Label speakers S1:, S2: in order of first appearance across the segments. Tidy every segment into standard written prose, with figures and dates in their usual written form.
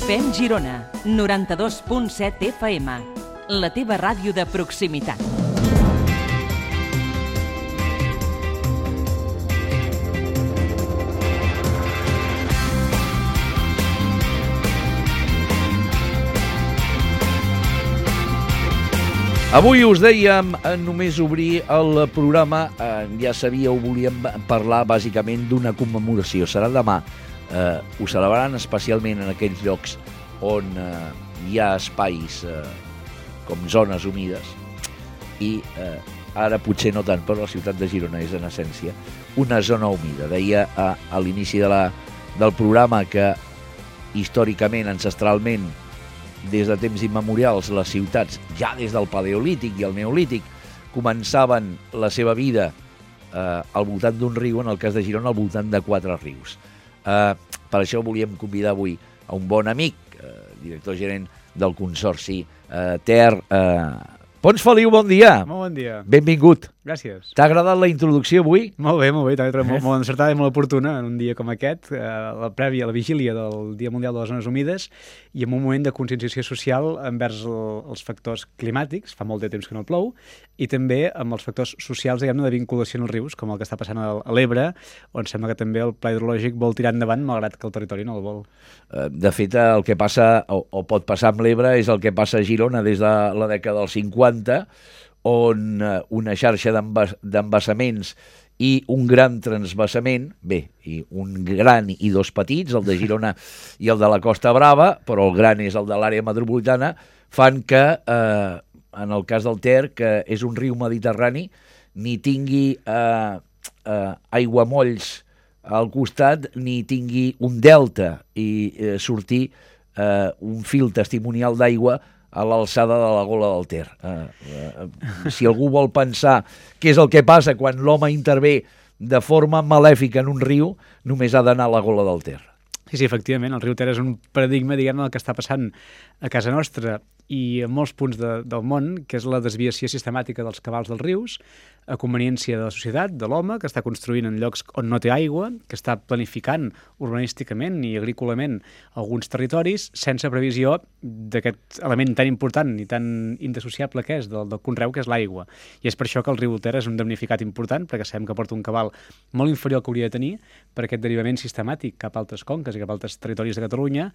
S1: FEM Girona, 92.7 FM, la teva ràdio de proximitat.
S2: Avui us dèiem, només obrir el programa, ja sabíeu, volíem parlar bàsicament d'una commemoració. Serà demà. Ho celebraran especialment en aquells llocs on hi ha espais com zones humides i ara potser no tant, però la ciutat de Girona és en essència una zona humida. Deia a l'inici del programa que històricament, ancestralment, des de temps immemorials, les ciutats, ja des del Paleolític i el Neolític, començaven la seva vida al voltant d'un riu, en el cas de Girona, al voltant de 4 rius. Per això volíem convidar avui a un bon amic, director gerent del Consorci Ter. Pons Feliu, bon dia.
S3: Molt bon dia.
S2: Benvingut.
S3: Gràcies.
S2: T'ha agradat la introducció avui?
S3: Molt bé, molt encertada i molt oportuna en un dia com aquest, la prèvia, la vigília del Dia Mundial de les Zones Humides i en un moment de conscienciació social envers els factors climàtics, fa molt de temps que no plou, i també amb els factors socials, diguem-ne, de vinculació en els rius, com el que està passant a l'Ebre, on sembla que també el pla hidrològic vol tirar endavant, malgrat que el territori no el vol.
S2: De fet, el que passa, o pot passar amb l'Ebre, és el que passa a Girona des de la dècada dels 50, on una xarxa d'embassaments i un gran transvasament, i un gran i 2 petits, el de Girona i el de la Costa Brava, però el gran és el de l'àrea metropolitana, fan que, en el cas del Ter, que és un riu mediterrani, ni tingui aiguamolls al costat, ni tingui un delta i sortir un fil testimonial d'aigua a l'alçada de la gola del Ter. Si algú vol pensar què és el que passa quan l'home intervé de forma malèfica en un riu, només ha d'anar a la gola del Ter.
S3: Sí, efectivament, el riu Ter és un paradigma, diguem-ne, del que està passant a casa nostra i a molts punts del món, que és la desviació sistemàtica dels cabals dels rius, a conveniència de la societat, de l'home, que està construint en llocs on no té aigua, que està planificant urbanísticament i agrícolament alguns territoris sense previsió d'aquest element tan important i tan indissociable que és del conreu, que és l'aigua. I és per això que el riu Ter és un damnificat important, perquè sabem que porta un cabal molt inferior al que hauria de tenir per aquest derivament sistemàtic cap a altres conques i cap a altres territoris de Catalunya,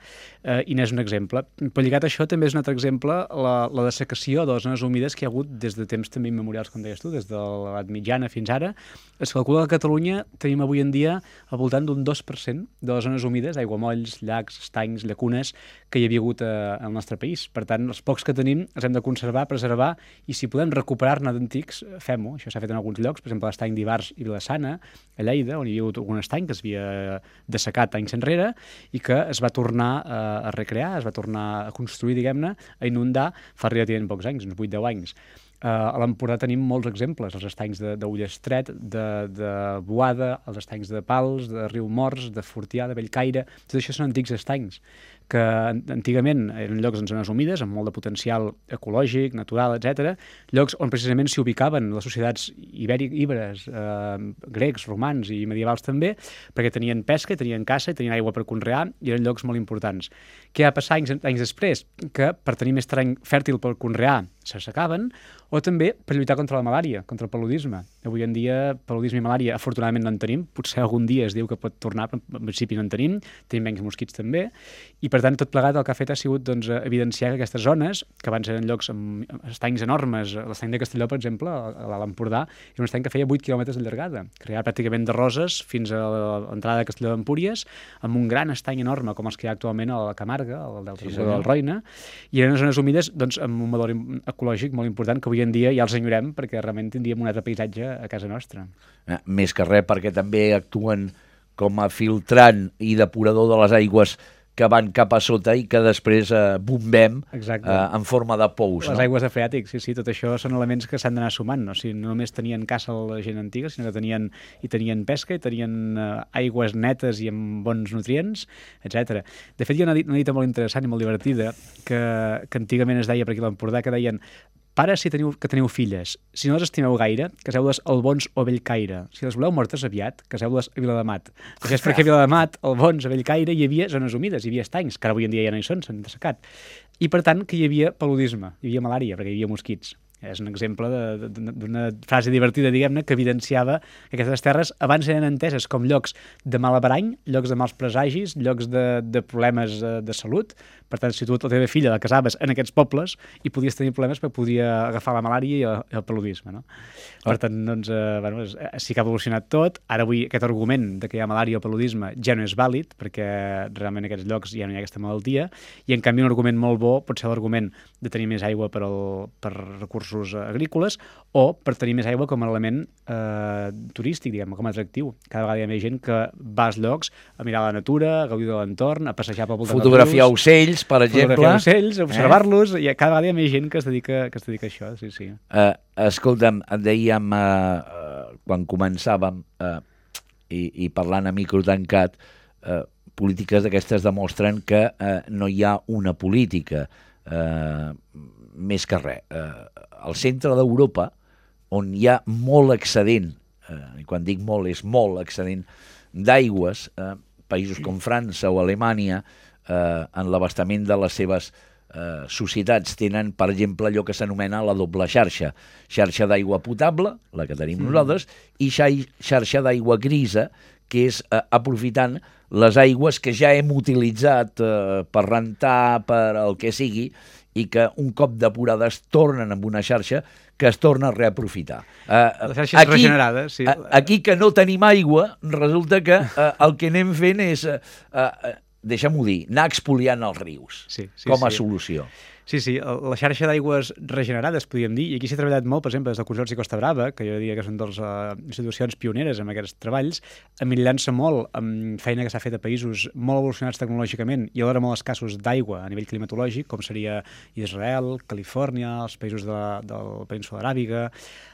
S3: i n'és un exemple. Però lligat a això també és un altre exemple la dessecació de les zones humides que hi ha hagut des de temps també immemorials, com deies tu, des de l'edat mitjana fins ara. Es calcula que a Catalunya tenim avui en dia al voltant d'un 2% de les zones humides, aiguamolls, llacs, estanys, llacunes, que hi havia hagut al nostre país. Per tant, els pocs que tenim els hem de conservar, preservar, i si podem recuperar-ne d'antics, fem-ho. Això s'ha fet en alguns llocs, per exemple l'estany d'Ivars i Vilassana, a Lleida, on hi havia hagut algun estany que s'havia dessecat anys enrere i que es va tornar a recrear, es va tornar a construir, diguem-ne, a inundar fa relativament pocs anys, uns 8-10 anys. A l'Empordà tenim molts exemples, els estanys d'Ullestret, de Boada, els estanys de Pals, de Riumors, de Fortià, de Bellcaire. Tot això són antics estanys que antigament eren llocs en zones humides, amb molt de potencial ecològic, natural, etc. Llocs on precisament s'hi ubicaven les societats ibèriques, grecs, romans i medievals també, perquè tenien pesca, tenien caça, tenien aigua per conrear i eren llocs molt importants. Què va passar anys després? Que per tenir més terreny fèrtil per conrear s'assecaven, o també per lluitar contra la malària, contra el paludisme. Avui en dia, paludisme i malària, afortunadament no en tenim, potser algun dia es diu que pot tornar, però en principi no en tenim menys mosquits també, i per tant tot plegat el que ha fet ha sigut evidenciar que aquestes zones, que abans eren llocs amb estanys enormes, l'estany de Castelló, per exemple, a l'Empordà, era un estany que feia 8 quilòmetres de llargada, creat pràcticament de Roses fins a l'entrada de Castelló d'Empúries, amb un gran estany enorme, com els que hi ha actualment a la Camarga, al delta del Roine, i eren zones humides amb un valor ecològic molt important que avui en dia ja els enyorem perquè realment tindríem un altre paisatge a casa nostra.
S2: Més que res perquè també actuen com a filtrant i depurador de les aigües que van cap a sota i que després bombem en forma de pous.
S3: Les aigües de freàtic, sí, tot això són elements que s'han d'anar sumant, no? No només tenien caça la gent antiga, sinó que tenien pesca i tenien aigües netes i amb bons nutrients, etc. De fet, hi ha una dita molt interessant i molt divertida que antigament es deia per aquí a l'Empordà, que deien pares si que teniu filles, si no les estimeu gaire, caseu-les al Bons o a Bellcaire. Si les voleu mortes aviat, caseu-les a Viladamat. Això és perquè a Viladamat, al Bons, a Bellcaire, hi havia zones humides, hi havia estanys, que ara avui en dia ja no hi són, s'han dessecat. I per tant que hi havia paludisme, hi havia malària, perquè hi havia mosquits. És un exemple d'una frase divertida, diguem-ne, que evidenciava que aquestes terres abans eren enteses com llocs de mal averany, llocs de mals presagis, llocs de problemes de salut. Per tant, si tu la teva filla la casaves en aquests pobles i podies tenir problemes perquè podia agafar la malària i el paludisme, no? Per tant, doncs, sí que ha evolucionat tot. Ara avui aquest argument de que hi ha malària o paludisme ja no és vàlid, perquè realment en aquests llocs ja no hi ha aquesta malaltia, i en canvi un argument molt bo pot ser l'argument de tenir més aigua per recursos agrícoles o per tenir més aigua com a element turístic, diguem, com a atractiu. Cada vegada hi ha més gent que va als llocs a mirar la natura, a gaudir de l'entorn, a passejar pel voltant dels rius.
S2: Fotografiar ocells, per exemple.
S3: Fotografiar ocells, observar-los, i cada vegada hi ha més gent que es dedica a això, sí, sí.
S2: Escolta'm, dèiem, quan començàvem, i parlant a micro tancat, polítiques d'aquestes demostren que no hi ha una política, més que res. Al centre d'Europa, on hi ha molt excedent, i quan dic molt és molt excedent d'aigües, països com França o Alemanya, en l'abastament de les seves societats tenen, per exemple, allò que s'anomena la doble xarxa. Xarxa d'aigua potable, la que tenim nosaltres, i xarxa d'aigua grisa, que és aprofitant les aigües que ja hem utilitzat per rentar, per el que sigui, i que un cop depurades tornen amb una xarxa que es torna a reaprofitar.
S3: La xarxa és regenerada, sí.
S2: Aquí que no tenim aigua, resulta que el que anem fent és, deixa'm-ho dir, anar expoliant els rius com a solució.
S3: Sí, la xarxa d'aigües regenerades, podríem dir, i aquí s'ha treballat molt, per exemple, des del Consorci Costa Brava, que jo diria que són de les institucions pioneres en aquests treballs, emmirallant-se molt amb feina que s'ha fet a països molt evolucionats tecnològicament i alhora molt escassos d'aigua a nivell climatològic, com seria Israel, Califòrnia, els països de la península aràbiga,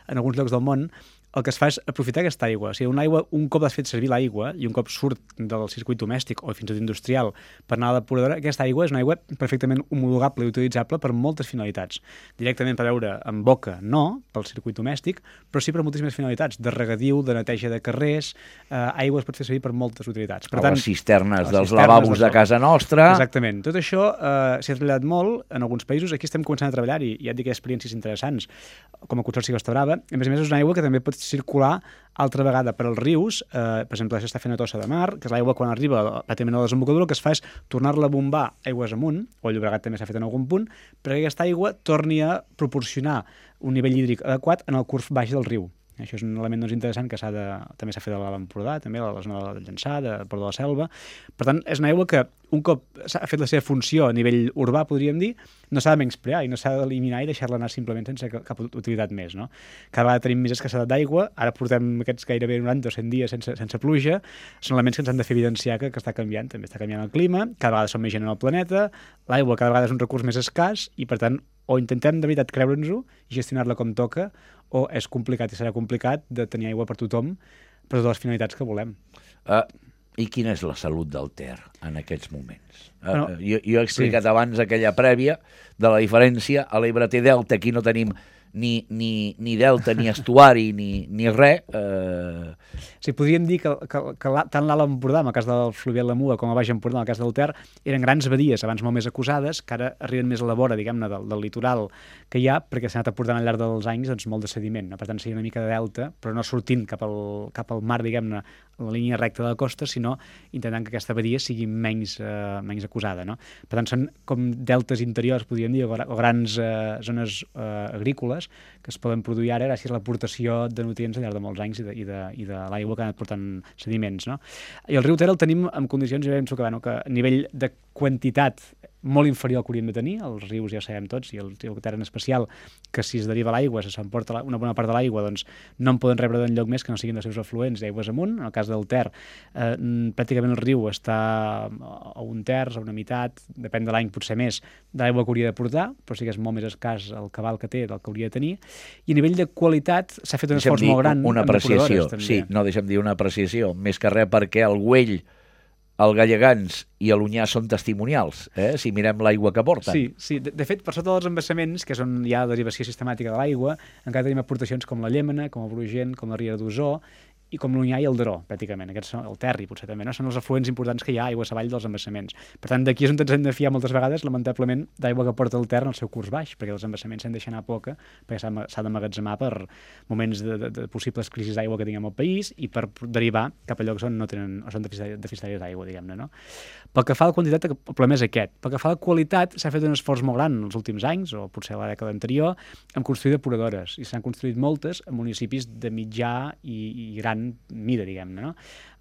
S3: en alguns llocs del món. El que es fa és aprofitar aquesta aigua. O sigui, un cop has fet servir l'aigua i un cop surt del circuit domèstic o fins i tot industrial per anar a la depuradora, aquesta aigua és una aigua perfectament homologable i utilitzable per moltes finalitats. Directament per beure en boca, no, pel circuit domèstic, però sí per moltíssimes finalitats, de regadiu, de neteja de carrers, aigua es pot fer servir per moltes utilitats. Per tant,
S2: les cisternes dels lavabos de casa nostra.
S3: Exactament. Tot això s'ha treballat molt en alguns països. Aquí estem començant a treballar-hi. Ja et dic que hi ha experiències interessants, com a Consorci Costa Brava. A més és una aigua que també pot circular altra vegada per als rius. Per exemple, això està fent a Tossa de Mar, que és l'aigua quan arriba pràcticament a la desembocadura, el que es fa és tornar-la a bombar aigües amunt, o el Llobregat també s'ha fet en algun punt, perquè aquesta aigua torni a proporcionar un nivell hídric adequat en el curs baix del riu. Això és un element interessant que també s'ha fet a l'Empordà, també a la zona del Llançà, de Port de la Selva. Per tant, és una aigua que un cop s'ha fet la seva funció a nivell urbà, podríem dir, no s'ha de menysprear i no s'ha d'eliminar i deixar-la anar simplement sense cap utilitat més, no? Cada vegada tenim més escassedat d'aigua, ara portem aquests gairebé 90 o 100 dies sense pluja, són elements que ens han de fer evidenciar que està canviant, també està canviant el clima, cada vegada som més gent en el planeta, l'aigua cada vegada és un recurs més escàs i, per tant, o intentem de veritat creure'ns-ho i gestionar-la com toca, o és complicat i serà complicat de tenir aigua per tothom, per totes les finalitats que volem.
S2: I quina és la salut del Ter en aquests moments? Jo he explicat abans aquella prèvia de la diferència. A l'Ebre té delta, aquí no tenim ni delta, ni estuari, ni res.
S3: Sí, podríem dir que tant l'Alt Empordà, en el cas del fluvial de Muga, com a Baix Empordà, en el cas del Ter, eren grans badies, abans molt més acusades, que ara arriben més a la vora, diguem-ne, del litoral que hi ha, perquè s'ha anat aportant al llarg dels anys doncs, molt de sediment, no? Per tant, seria una mica de delta, però no sortint cap al mar, diguem-ne, la línia recta de la costa, sinó intentant que aquesta badia sigui menys acusada, no? Per tant, són com deltes interiors, podríem dir, o grans zones agrícoles que es poden produir ara gràcies a l'aportació de nutrients al llarg de molts anys i de l'aigua que ha anat portant sediments, no? I el riu Ter el tenim en condicions, jo penso que a nivell de quantitat molt inferior al que hauríem de tenir. Els rius ja sabem tots, i el riu Ter en especial, que si es deriva l'aigua, se s'emporta una bona part de l'aigua, doncs no en poden rebre d'enlloc més que no siguin dels seus afluents d'aigües amunt. En el cas del Ter, pràcticament el riu està a un terç, a una meitat, depèn de l'any, potser més, de l'aigua que hauria de portar, però sí que és molt més escàs el cabal que té del que hauria de tenir. I a nivell de qualitat s'ha fet un esforç molt gran.
S2: Una apreciació, sí, no, deixa'm dir una apreciació, més que res perquè el güell el Gallegans i a l'Onyar són testimonials, si mirem l'aigua que porten.
S3: Sí. De fet, per sota dels embassaments, que és on hi ha derivació sistemàtica de l'aigua, encara tenim aportacions com la Llémena, com el Brugent, com la Riera d'Osor, i com l'Onyar i el Daró, pràcticament. Aquests són el Terri, potser també, no? Són els afluents importants que hi ha aigua avall dels embassaments. Per tant, d'aquí és on ens hem de fiar moltes vegades, lamentablement, d'aigua que porta el Ter en el seu curs baix, perquè els embassaments s'han de deixar anar poca, perquè s'ha d'emmagatzemar per moments de possibles crisis d'aigua que tinguem al país i per derivar cap a llocs on no tenen, o són deficitaris d'aigua, diguem-ne, no? Pel que fa a la quantitat, el problema és aquest. Pel que fa a la qualitat, s'ha fet un esforç molt gran en els últims anys, o potser a la dècada anterior, en construir depuradores, i s'han construït moltes en municipis de mitjà i gran mida, diguem-ne, no?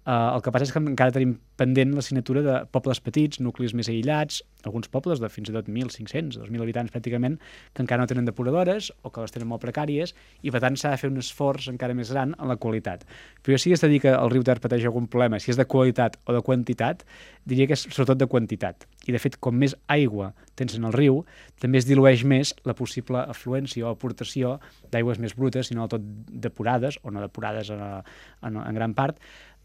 S3: El que passa és que encara tenim pendent la signatura de pobles petits, nuclis més aïllats, alguns pobles de fins i tot 1.500, 2.000 habitants pràcticament, que encara no tenen depuradores o que les tenen molt precàries, i per tant s'ha de fer un esforç encara més gran en la qualitat. Però si has de dir que el riu Ter pateix algun problema, si és de qualitat o de quantitat, diria que és sobretot de quantitat. I de fet, com més aigua tens en el riu, també es dilueix més la possible afluència o aportació d'aigües més brutes, sinó tot depurades, o no depurades en gran part,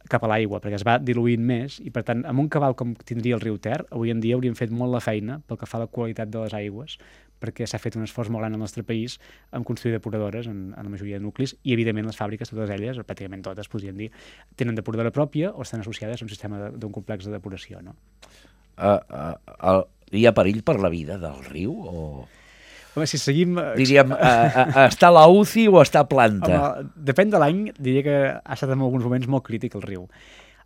S3: cap a l'aigua, perquè es va diluint més, i per tant, amb un cabal com tindria el riu Ter, avui en dia hauríem fet molt la feina pel que fa a la qualitat de les aigües, perquè s'ha fet un esforç molt gran al nostre país en construir depuradores en la majoria de nuclis, i evidentment les fàbriques, totes elles, o pràcticament totes, podríem dir, tenen depuradora pròpia o estan associades a un sistema d'un complex de depuració, no?
S2: Hi ha perill per la vida del riu o...?
S3: Home, si seguim...
S2: Diríem, està a la UCI o està a planta?
S3: Home, depèn de l'any, diria que ha estat en alguns moments molt crític el riu.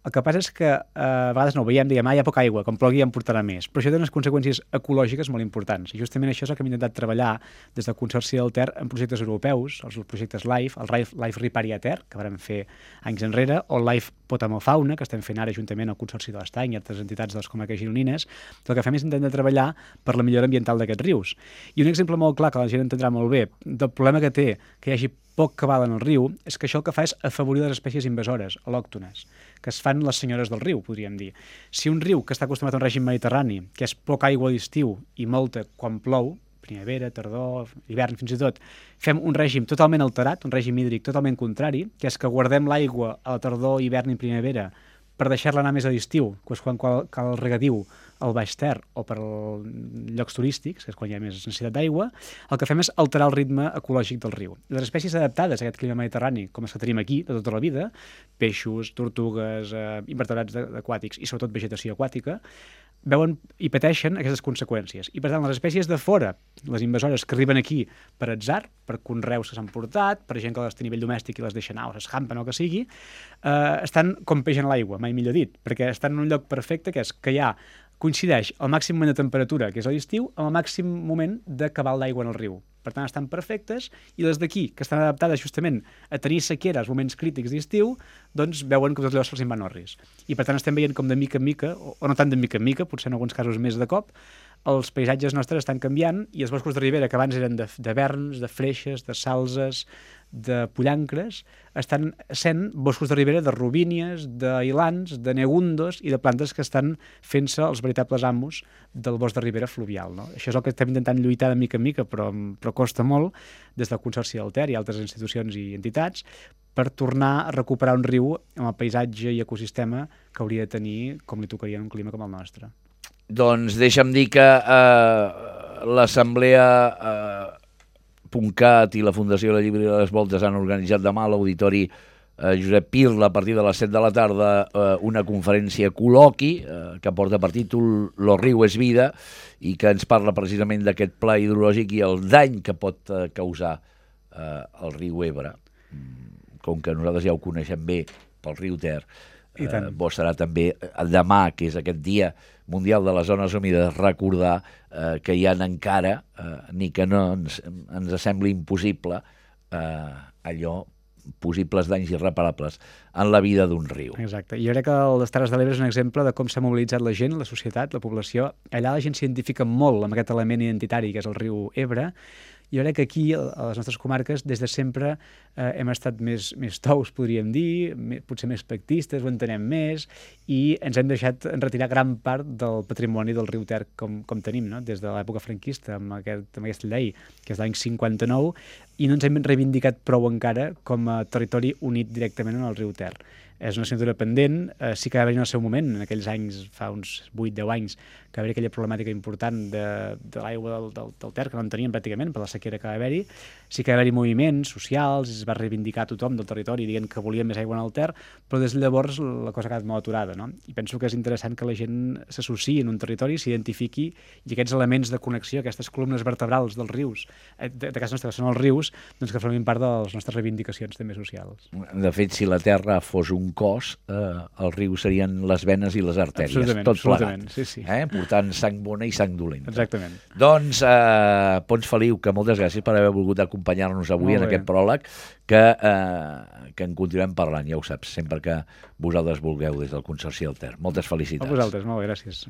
S3: El que passa és que a vegades no ho veiem, diguem, hi ha poca aigua, com plogui ja en portarà més. Però això té unes conseqüències ecològiques molt importants. I justament això és el que hem intentat treballar des del Consorci del Ter en projectes europeus, els projectes LIFE, el LIFE Riparia Ter, que vam fer anys enrere, o el LIFE Potamofauna, que estem fent ara juntament al Consorci de l'Estany i altres entitats de les comarques gironines. El que fem és intentar treballar per la millora ambiental d'aquests rius. I un exemple molt clar, que la gent entendrà molt bé, del problema que té que hi hagi poc cabal en el riu, és que això el que fa és afavorir les espècies invasores, al·lòctones, que es fan les senyores del riu, podríem dir. Si un riu que està acostumat a un règim mediterrani, que és poca aigua a l'estiu i molta quan plou, primavera, tardor, hivern fins i tot, fem un règim totalment alterat, un règim hídric totalment contrari, que és que guardem l'aigua a la tardor, hivern i primavera per deixar-la anar més a l'estiu, que és quan cal el regadiu al Baix Ter o per llocs turístics, que és quan hi ha més necessitat d'aigua, el que fem és alterar el ritme ecològic del riu. Les espècies adaptades a aquest clima mediterrani, com les que tenim aquí de tota la vida, peixos, tortugues, invertebrats aquàtics i sobretot vegetació aquàtica, veuen i pateixen aquestes conseqüències. I per tant, les espècies de fora, les invasores que arriben aquí per atzar, per conreus que s'han portat, per gent que les té a nivell domèstic i les deixa anar o s'escampen o que sigui, estan com peix en l'aigua, mai millor dit, perquè estan en un lloc perfecte, que és que hi ha coincideix el màxim moment de temperatura, que és a l'estiu, amb el màxim moment de cabal d'aigua en el riu. Per tant, estan perfectes, i les d'aquí, que estan adaptades justament a tenir sequera als moments crítics d'estiu, doncs veuen que tot allò se'ls en van orris. I per tant estem veient com de mica en mica, o no tant de mica en mica, potser en alguns casos més de cop, els paisatges nostres estan canviant i els boscos de ribera, que abans eren de verns, de freixes, de salzes, de pollancres, estan sent boscos de ribera de robínies, d'ailans, de negundos i de plantes que estan fent-se els veritables amos del bosc de ribera fluvial, no? Això és el que estem intentant lluitar de mica en mica, però costa molt, des del Consorci del Ter i altres institucions i entitats, per tornar a recuperar un riu amb el paisatge i ecosistema que hauria de tenir com li tocaria en un clima com el nostre.
S2: Doncs deixa'm dir que l'Assemblea .cat i la Fundació de la Llibre de les Voltes han organitzat demà a l'Auditori Josep Pirla a partir de les 7 de la tarda una conferència col·loqui que porta per títol Lo riu és vida i que ens parla precisament d'aquest pla hidrològic i el dany que pot causar el riu Ebre. Com que nosaltres ja ho coneixem bé pel riu Ter, bo serà també demà, que és aquest dia mundial de les zones humides, recordar que hi ha encara, ni que no ens sembli impossible, allò, possibles danys irreparables en la vida d'un riu.
S3: Exacte. Jo crec que el les Terres de l'Ebre és un exemple de com s'ha mobilitzat la gent, la societat, la població. Allà la gent s'identifica molt amb aquest element identitari que és el riu Ebre. Jo crec que aquí, a les nostres comarques, des de sempre hem estat més tous, podríem dir, potser més pactistes, ho entenem més, i ens hem deixat enretirar gran part del patrimoni del riu Ter com tenim, no? Des de l'època franquista, amb aquesta llei, que és l'any 59, i no ens hem reivindicat prou encara com a territori unit directament en el riu Ter. És una assignatura pendent, sí que va haver-hi en el seu moment, en aquells anys, fa uns 8-10 anys, que va haver aquella problemàtica important de l'aigua del Ter, que no en teníem pràcticament per la sequera que va haver-hi. Sí que va haver-hi moviments socials, es va reivindicar tothom del territori dient que volia més aigua en el Ter, però des de llavors la cosa ha quedat molt aturada, no? I penso que és interessant que la gent s'associï en un territori, s'identifiqui, i aquests elements de connexió, aquestes columnes vertebrals dels rius, de casa nostra, que són els rius, doncs que formin part de les nostres reivindicacions també socials.
S2: De fet, si la Terra fos un cos, els rius serien les venes i les artèries,
S3: absolutament,
S2: tot
S3: absolutament,
S2: plegat.
S3: sí.
S2: Portant sang bona i sang dolenta.
S3: Exactament.
S2: Doncs, Pons Feliu, que moltes gràcies per haver volgut acompanyar-nos avui en aquest pròleg, que en continuem parlant, ja ho saps, sempre que vosaltres vulgueu des del Consorci del Ter. Moltes felicitats.
S3: A vosaltres, molt bé, gràcies.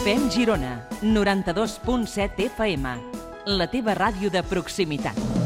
S1: FEM Girona, 92.7 FM, la teva ràdio de proximitat.